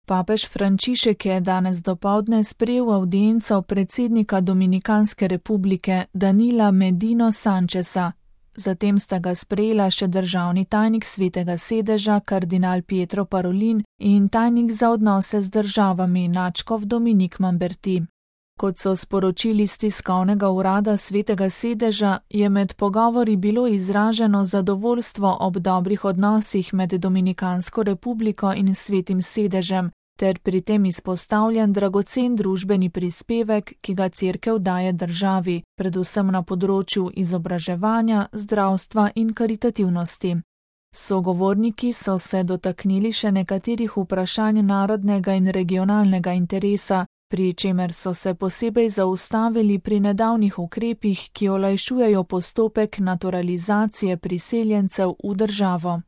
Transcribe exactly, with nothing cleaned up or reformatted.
Papež Frančišek je danes dopoldne sprejel avdienco predsednika Dominikanske republike Danila Medino Sancheza. Zatem sta ga sprejela še državni tajnik Svetega sedeža kardinal Pietro Parolin in tajnik za odnose z državami nadškof Dominik Mamberti. Kot so sporočili z tiskovnega urada Svetega sedeža, je med pogovori bilo izraženo zadovoljstvo ob dobrih odnosih med Dominikansko republiko in Svetim sedežem, ter pri tem izpostavljen dragocen družbeni prispevek, ki ga cerkev daje državi, predvsem na področju izobraževanja, zdravstva in karitativnosti. Sogovorniki so se dotaknili še nekaterih vprašanj narodnega in regionalnega interesa, pri čemer so se posebej zaustavili pri nedavnih ukrepih, ki olajšujejo postopek naturalizacije priseljencev v državo.